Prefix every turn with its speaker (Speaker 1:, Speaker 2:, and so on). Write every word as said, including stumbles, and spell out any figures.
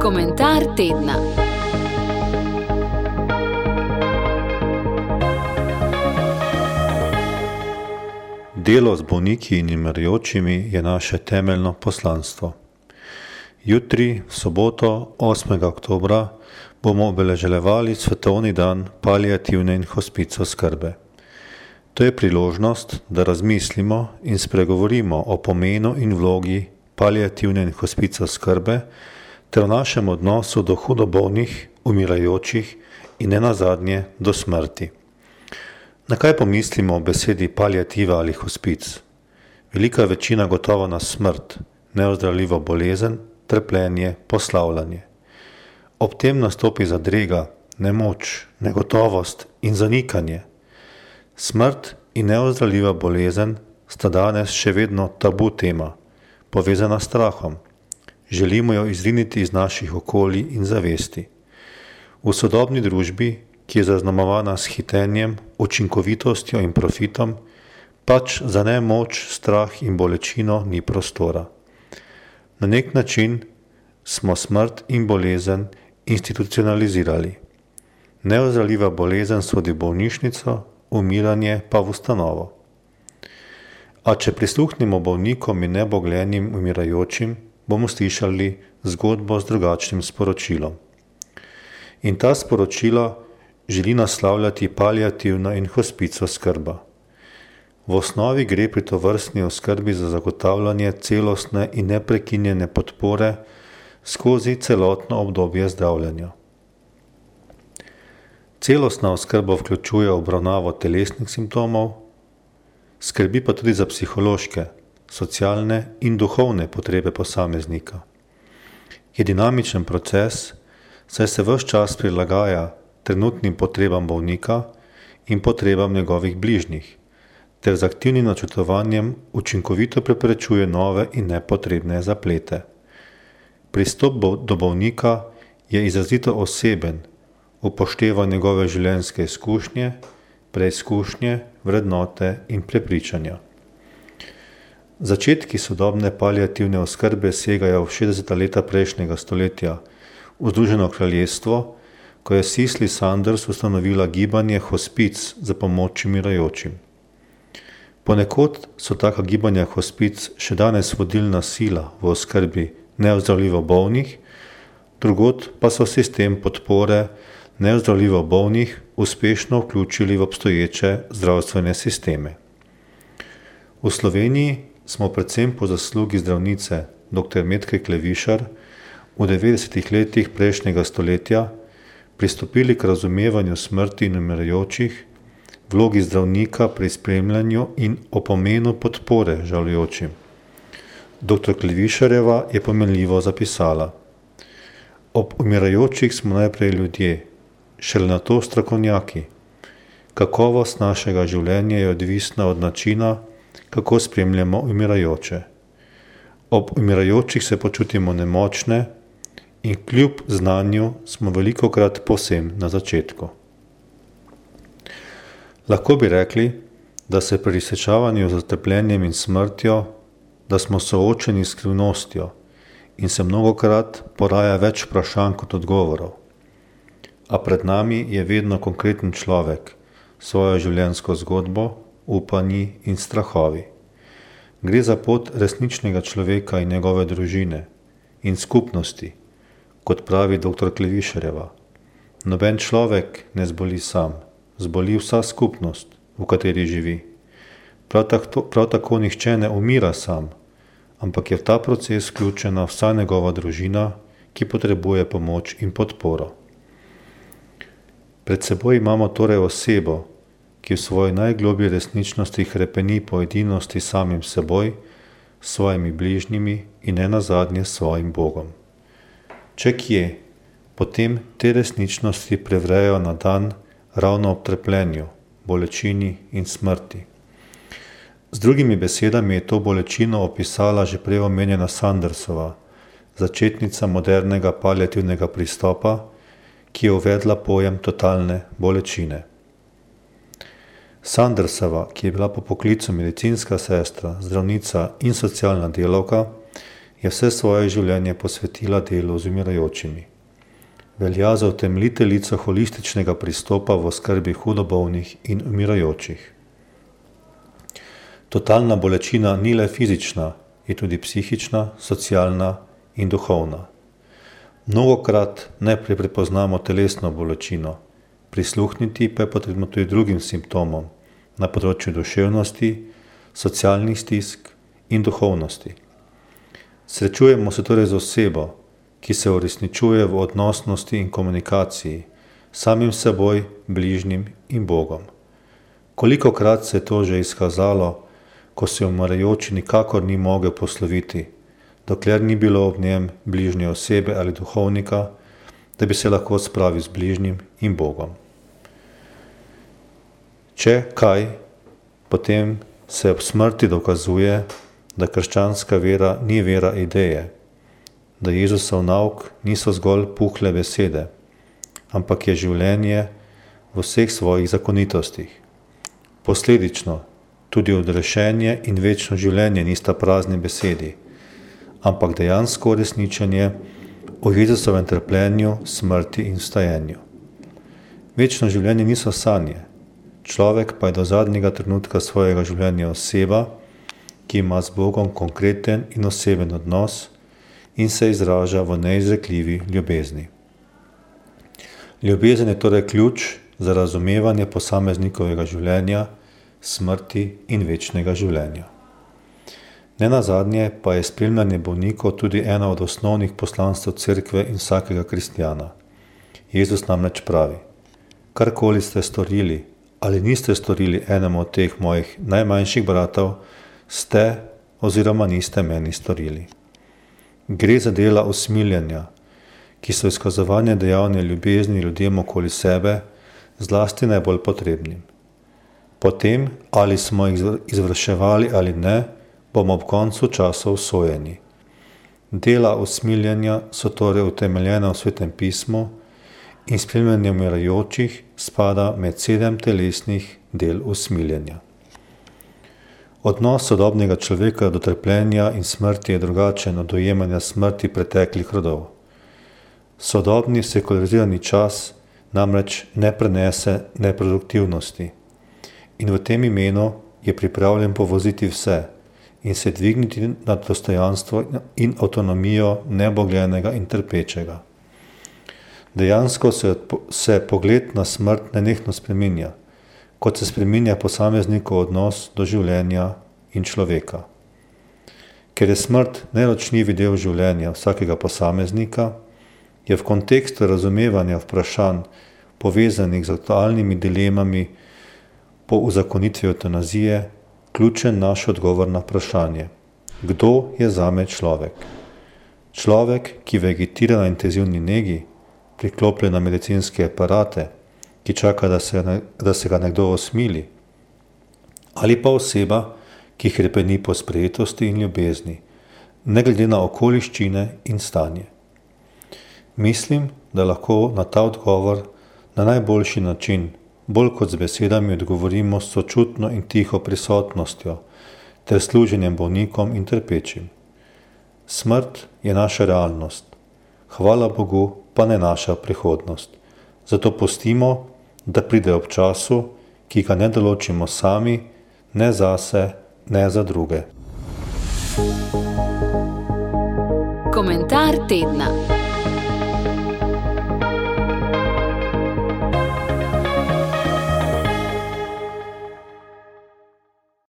Speaker 1: Komentar tedna.
Speaker 2: Delo z bolniki in umirajočimi je naše temeljno poslanstvo. Jutri, v soboto, osmega oktobra, bomo obeleževali svetovni dan paliativne in hospic oskrbe. To je priložnost, da razmislimo in spregovorimo o pomenu in vlogi paliativne in hospic oskrbe ter o našem odnosu do hudo bolnih, umirajočih in nenazadnje do smrti. Na kaj pomislimo o besedi paliativa ali hospic? Velika večina gotovo na smrt, neozdravljivo bolezen, trpljenje, poslavljanje. Ob tem nastopi zadrega, nemoč, negotovost in zanikanje. Smrt in neozdravljiva bolezen sta danes še vedno tabu tema, povezana s strahom. Želimo jo izriniti iz naših okolij in zavesti. V sodobni družbi, ki je zaznamovana s hitenjem, učinkovitostjo in profitom, pač za nemoč, strah in bolečino ni prostora. Na nek način smo smrt in bolezen institucionalizirali. Neozdravljiva bolezen sodi v bolnišnico, umiranje pa v ustanovo. A če prisluhnemo bolnikom in neboglenim umirajočim, bomo slišali zgodbo z drugačnim sporočilom. In ta sporočila želi naslavljati paliativna in hospic oskrba. V osnovi gre pri tovrstni oskrbi za zagotavljanje celostne in neprekinjene podpore skozi celotno obdobje zdravljenja. Celostna oskrba vključuje obravnavo telesnih simptomov, skrbi pa tudi za psihološke, socialne in duhovne potrebe posameznika. Je dinamičen proces, saj se ves čas prilagaja trenutnim potrebam bolnika in potrebam njegovih bližnjih, ter z aktivnim načrtovanjem učinkovito preprečuje nove in nepotrebne zaplete. Pristop do bolnika je izrazito oseben, upošteva njegove življenjske izkušnje, preizkušnje, vrednote in prepričanja. Začetki sodobne paliativne oskrbe segajo v šestdeseta leta prejšnjega stoletja v Združeno kraljestvo, ko je Cicely Saunders ustanovila gibanje hospic za pomoč umirajočim. Ponekod so taka gibanja hospic še danes vodilna sila v oskrbi neozdravljivo bolnih, drugod pa so sistem podpore neozdravljivo bolnih uspešno vključili v obstoječe zdravstvene sisteme. V Sloveniji smo predvsem po zaslugi zdravnice dr. Metke Klevišar v devetdesetih letih prejšnjega stoletja pristopili k razumevanju smrti in umirajočih, vlogi zdravnika pri spremljanju in o pomenu podpore žalujočim. dr. Klevišarjeva je pomenljivo zapisala: Ob umirajočih smo najprej ljudje, šele nato strokovnjaki. Kakovost našega življenja je odvisna od načina, kako spremljamo umirajoče. Ob umirajočih se počutimo nemočne in kljub znanju smo velikokrat povsem na začetku. Lahko bi rekli, da se pri srečavanju z trpljenjem in smrtjo, da smo soočeni s skrivnostjo in se mnogokrat poraja več vprašanj kot odgovorov. A pred nami je vedno konkreten človek, svojo življenjsko zgodbo, upanji in strahovi. Gre za pot resničnega človeka in njegove družine in skupnosti, kot pravi dr. Klevišarjeva. Noben človek ne zboli sam, zboli vsa skupnost, v kateri živi. Prav tako, prav tako nihče ne umira sam, ampak je v ta proces vključena vsa njegova družina, ki potrebuje pomoč in podporo. Pred seboj imamo torej osebo, ki v svoji najglobji resničnosti hrepeni po edinosti samim seboj, svojimi bližnjimi in nenazadnje svojim Bogom. Če kje, potem te resničnosti prevrejo na dan ravno ob trpljenju, bolečini in smrti. Z drugimi besedami je to bolečino opisala že prej omenjena Saundersova, začetnica modernega paliativnega pristopa, ki je uvedla pojem totalne bolečine. Saundersova, ki je bila po poklicu medicinska sestra, zdravnica in socialna delavka, je vse svoje življenje posvetila delu z umirajočimi. Velja za utemeljiteljico holističnega pristopa v oskrbi hudobolnih in umirajočih. Totalna bolečina ni le fizična, je tudi psihična, socialna in duhovna. Mnogokrat najprej prepoznamo telesno bolečino, prisluhniti pa je potrebno tudi drugim simptomom na področju duševnosti, socialnih stisk in duhovnosti. Srečujemo se torej z osebo, ki se uresničuje v odnosnosti in komunikaciji, samim seboj, bližnjim in Bogom. Kolikokrat se je to že izkazalo, ko se umirajoči nikakor ni mogel posloviti, dokler ni bilo ob njem bližnje osebe ali duhovnika, da bi se lahko spravil z bližnjim in Bogom. Če kaj, potem se ob smrti dokazuje, da krščanska vera ni vera ideje, da Jezusov nauk niso zgolj puhle besede, ampak je življenje v vseh svojih zakonitostih. Posledično, tudi odrešenje in večno življenje nista prazni besedi, ampak dejansko uresničenje o Jezusovem trpljenju, smrti in vstajenju. Večno življenje niso sanje, človek pa je do zadnjega trenutka svojega življenja oseba, ki ima z Bogom konkreten in oseben odnos in se izraža v neizrekljivi ljubezni. Ljubezen je torej ključ za razumevanje posameznikovega življenja, smrti in večnega življenja. Nenazadnje pa je spremljanje bolnikov tudi ena od osnovnih poslanstev cerkve in vsakega kristjana. Jezus namreč pravi: karkoli ste storili ali niste storili enemu od teh mojih najmanjših bratov, ste oziroma niste meni storili. Gre za dela usmiljenja, ki so izkazovanje dejavne ljubezni ljudem okoli sebe, zlasti najbolj potrebnim. Potem, ali smo jih izvrševali ali ne, bomo ob koncu časov sojeni. Dela usmiljenja so torej utemeljena v Svetem pismu in spremljanje umirajočih spada med sedem telesnih del usmiljenja. Odnos sodobnega človeka do trpljenja in smrti je drugačen od dojemanja smrti preteklih rodov. Sodobni sekularizirani čas namreč ne prenese neproduktivnosti in v tem imenu je pripravljen povoziti vse in se dvigniti nad dostojanstvo in avtonomijo nebogljenega in trpečega. Dejansko se, se pogled na smrt nenehno spreminja, kot se spreminja posameznikov odnos do življenja in človeka. Ker je smrt neločljivi del življenja vsakega posameznika, je v kontekstu razumevanja vprašanj povezanih z aktualnimi dilemami po uzakonitvi evtanazije ključen naš odgovor na vprašanje: kdo je zame človek? Človek, ki vegetira na intenzivni negi, priklopljen na medicinske aparate, ki čaka, da se, da se ga nekdo osmili, ali pa oseba, ki hrepeni po sprejetosti in ljubezni, ne glede na okoliščine in stanje. Mislim, da lahko na ta odgovor na najboljši način, bolj kot z besedami, odgovorimo s sočutno in tiho prisotnostjo ter služenjem bolnikom in trpečim. Smrt je naša realnost, hvala Bogu pa ne naša prihodnost. Zato pustimo, da pride ob času, ki ga ne določimo sami, ne zase, ne za druge.
Speaker 1: Komentar tedna.